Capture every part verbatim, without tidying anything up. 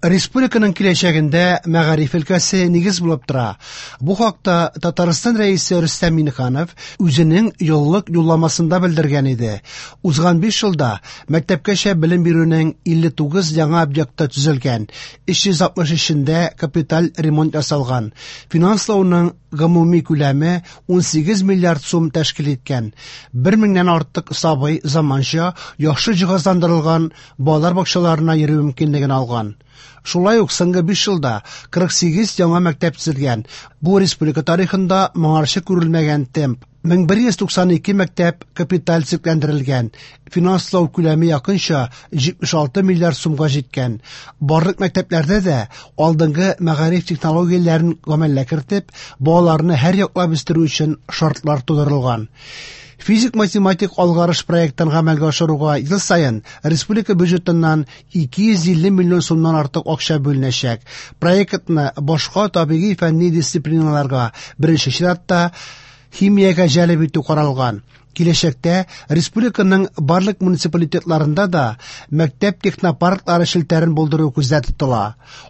Республиканың киләчәгендә мәгариф өлкәсе нигез булып тора. Бу хакта Татарстан Рәисе Рөстәм Миңнеханов үзенең еллык юлламасында белдергән иде. Узган биш елда мәктәпкәчә белем бирүнең илле тугыз яңа объекты төзелгән, өч йөз алтмыш өчендә капиталь ремонт ясалган. Финанслауның гомуми күләме ун сигез миллиард сум тәшкил иткән. Бер меңнән артык сабый заманча, яхшы җиһазландырылган балалар бакчаларына йөрү мөмкинлеген алган. Шулай ук соңгы биш елда кырык сигез яңа мәктәп төзелгән. Бу республика тарихында моңарчы күрелмәгән темп. Мең бер йөз туксан ике мәктәп капиталь төзекләндерелгән. Финанслау күләме якынча җитмеш алты миллиард сумга җиткән. Барлык мәктәпләрдә дә алдынгы мәгариф технологияләрен гамәлгә кертеп, балаларны һәр яклап үстерү өчен шартлар тудырылган. Физик-математик алгарыш проектын гамәлгә ашыруга ел саен республика бюджетыннан ике йөз илле миллион сумнан артык акча бүленәчәк. Проектны башка табигый фәнни дисциплиналарга, беренче чиратта химиягә җәлеп итү каралган. Киләчәктә республиканың барлык муниципалитетларында да мәктәп технопарклары челтәрен булдыру күздә тотыла.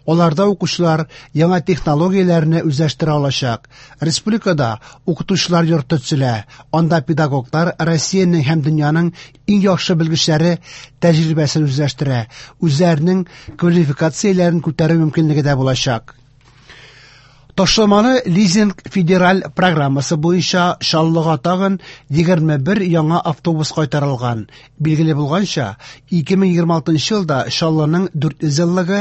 Аларда укучылар яңа технологияләрне үзләштерә алачак. Республикада укытучылар йорты төзелә. Анда педагоглар Россиянең һәм дөньяның иң яхшы белгечләре тәҗрибәсен үзләштерә, үзләренең квалификацияләрен күтәрү мөмкинлеге дә булачак. Ташламалы лизинг федераль программасы буенча Чаллыга тагын егерме бер яңа автобус кайтарылган. Билгеле булганча, ике мең егерме алтынчы елда Чаллының дүрт йөз еллыгы,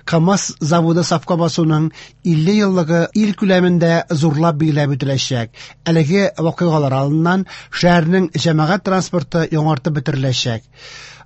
КАМАЗ заводы сафка басуның илле еллыгы ил күләмендә зурлап билгеләп үтеләчәк. Әлеге вакыйгалар алдыннан шәһәрнең җәмәгать транспорты яңартып бетереләчәк.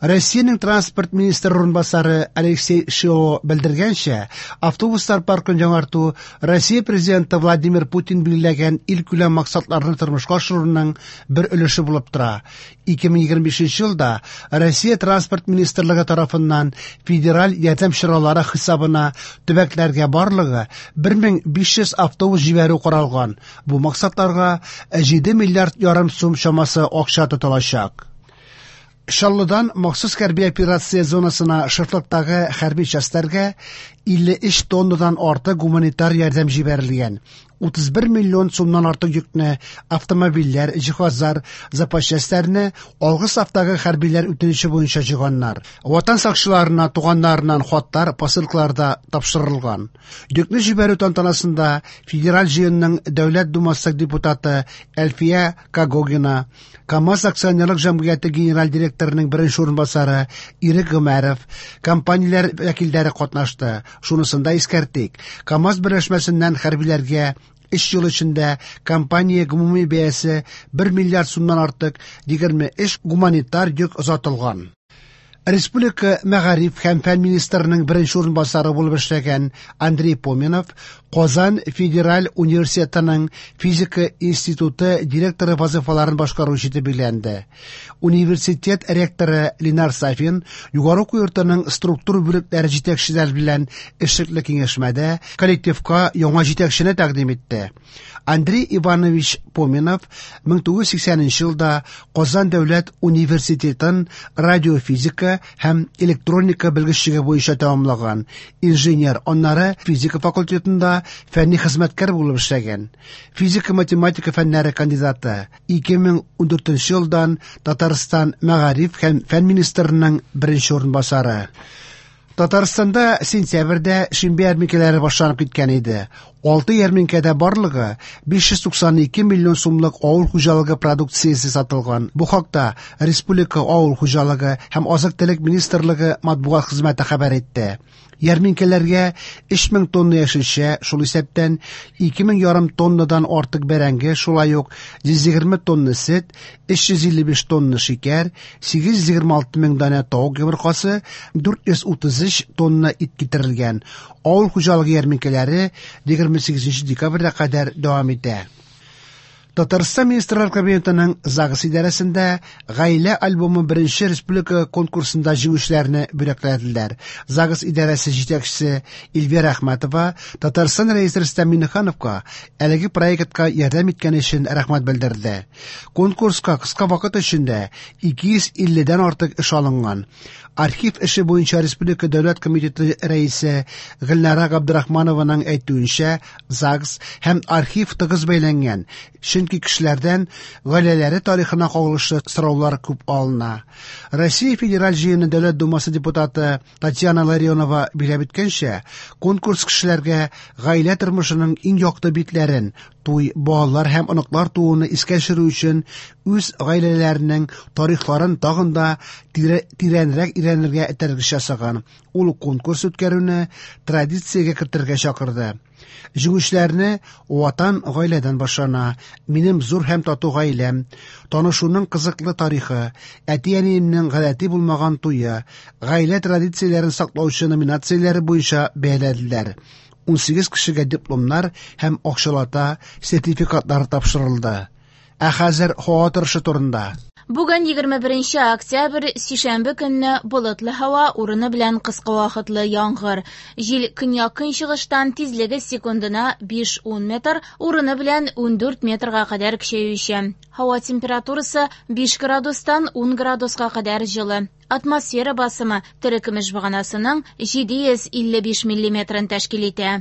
Россиянең транспорт министры урынбасары Алексей Шило белдергәнчә, автобуслар паркын яңарту Россия президенты Владимир Путин билгеләгән илкүләм максатларны тормышка ашыруның бер өлеше булып тора. Ике мең егерме бишенче елда Россия транспорт министрлыгы тарафыннан федераль ярдәм чаралары хисабына төбәкләргә барлыгы бер мең биш йөз автобус җибәрү каралган. Бу максатларга җиде миллиард ярым сум чамасы акча тотылачак. Чаллыдан махсус хәрби операция зонасына шартлыктагы хәрби частьләргә илле өч тоннадан артык гуманитар ярдәм җибәрелгән. Утыз бер миллион сумнан артык йөкне автомобильләр, җиһазлар, запас частьләрне алгы сафтагы хәрбиләр үтенече буенча җыйганнар. Ватан сакчыларына туганнарыннан хатлар, посылкалар да тапшырылган. Йөкне җибәрү тантанасында Федераль җыенның Дәүләт Думасы депутаты Әлфия Когогина, КАМАЗ акционерлык җәмгыяте генераль директорының беренче урынбасары Ирек Гомәров, компанияләр вәкилләре катнашты. Шунысын да искәртик, КАМАЗ берләшмәсеннән хәрбиләргә өч ел эчендә компания гомуми бәясе бер миллиард сумнан артык егерме өч гуманитар йөк озатылган. Республика мәгариф һәм фән министрының беренче урынбасары булып эшләгән Андрей Поминов Казан федераль университетының физика институты директоры вазифаларын башкаручы итеп билгеләнде. Университет ректоры Ленар Сафин югары уку йортының структура бүлекләре җитәкчеләре белән эшлекле киңәшмәдә коллективка яңа җитәкчене тәкъдим итте. Андрей Иванович Поминов мең тугыз йөз сиксәненче елда Казан дәүләт университетын радиофизика һәм электроника белгечлеге буенча тәмамлаган. Инженер, аннары физика факультетында фәнни хезмәткәр булып эшләгән. Физика-математика фәннәре кандидаты. Ике мең ундүртенче елдан Татарстан мәгариф һәм фән министрының беренче урынбасары. Татарстанда сентябрьдә шимбә ярминкәләре башланып киткән иде. Алты ярминкәдә барлыгы биш йөз туксан ике миллион сумлык авыл хуҗалыгы продукциясе сатылган. Бу хакта Республика авыл хуҗалыгы һәм азык-төлек министрлыгы матбугат хезмәте хәбәр итте. Ярминкәләргә өч мең тонна яшелчә, шул исәптән ике мең ярым тоннадан артык бәрәңге, шулай ук йөз егерме тонна сөт, өч йөз илле биш тонна шикәр, сигез йөз егерме алты мең данә тавык йомыркасы, дүрт йөз утыз өч тонна ит китерелгән. Авыл хуҗалыгы ярминкәләре егерме сигезенче декабрьгә кадәр дәвам итә. Татарстан Министрлар Кабинетының ЗАГС идарәсендә Гаилә альбомы беренче республика конкурсында җиңүчеләрне бүләкләделәр. ЗАГС идарәсе җитәкчесе Эльвира Әхмәтова Татарстан Рәисе Рөстәм Миңнехановка әлеге проектка ярдәм иткән өчен рәхмәт белдерде. Конкурска кыска вакыт эчендә ике йөз илледән артык эш алынган. Архив эше буенча Республика дәүләт комитеты рәисе Гөлнара Габдрахманованың әйтүенчә, ЗАГС һәм архив тыгыз бәйләнгән, чөнки кешеләрдән гаиләләре тарихына кагылышлы сораулар күп алына. Россия Федераль Җыены Дәүләт Думасы депутаты Татьяна Ларионова билгеләп үткәнчә, конкурс кешеләргә гаилә тормышының иң якты битләрен, туй, балалар һәм оныклар тууны искә төшерү өчен үз гаиләләренең тарихларын тагын да тирәнрәк өйрәнергә этәргеч ясаган. Ул конкурс үткәрүне традициягә кертергә чакырды. Җиңүчеләрне Ватан гаиләдән башлана, Минем зур һәм тату гаиләм, Танышуның кызыклы тарихы, Әти-әниемнең гадәти булмаган туе, гаилә традицияләрен саклаучы номинацияләре буенча бәяләделәр. Унсигез кешегә дипломнар һәм акчалата сертификатлар тапшырылды. Ә хәзер һава торышы турында. Бүген егерме беренче октябрь, сишәмбе көнне болытлы һава, урыны белән кыска вакытлы яңгыр. Җил көньяк-көнчыгыштан, тизлеге секундына биш-ун метр, урыны белән ундүрт метрга кадәр көчәюче. Һава температурасы биш градустан ун градуска кадәр җылы. Атмосфера басымы терекөмеш баганасының җиде йөз илле биш миллиметрын тәшкил итә.